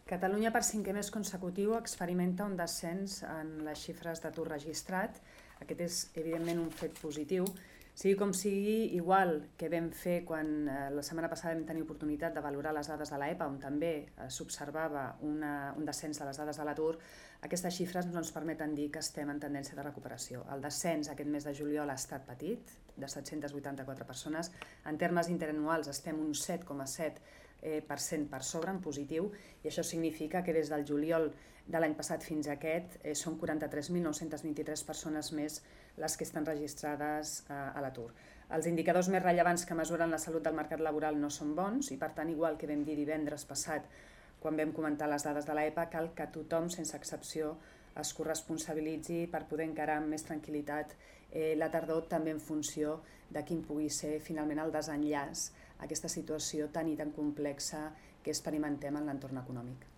Catalunya, per cinquè mes consecutiu, experimenta un descens en les xifres d'atur registrat. Aquest és, evidentment, un fet positiu. Sigui com sigui, igual que vam fer quan la setmana passada vam tenir oportunitat de valorar les dades de l'EPA, on també s'observava un descens de les dades de l'atur, aquestes xifres ens permeten dir que estem en tendència de recuperació. El descens aquest mes de juliol ha estat petit, de 784 persones. En termes interanuals estem un 7,7% per sobre, en positiu, i això significa que des del juliol de l'any passat fins a aquest són 43.923 persones més les que estan registrades a l'atur. Els indicadors més rellevants que mesuren la salut del mercat laboral no són bons i, per tant, igual que vam dir divendres passat quan vam comentar les dades de l'EPA, cal que tothom, sense excepció, es corresponsabilitzi per poder encarar amb més tranquil·litat la tardor, també en funció de quin pugui ser finalment el desenllaç a aquesta situació tan i tan complexa que experimentem en l'entorn econòmic.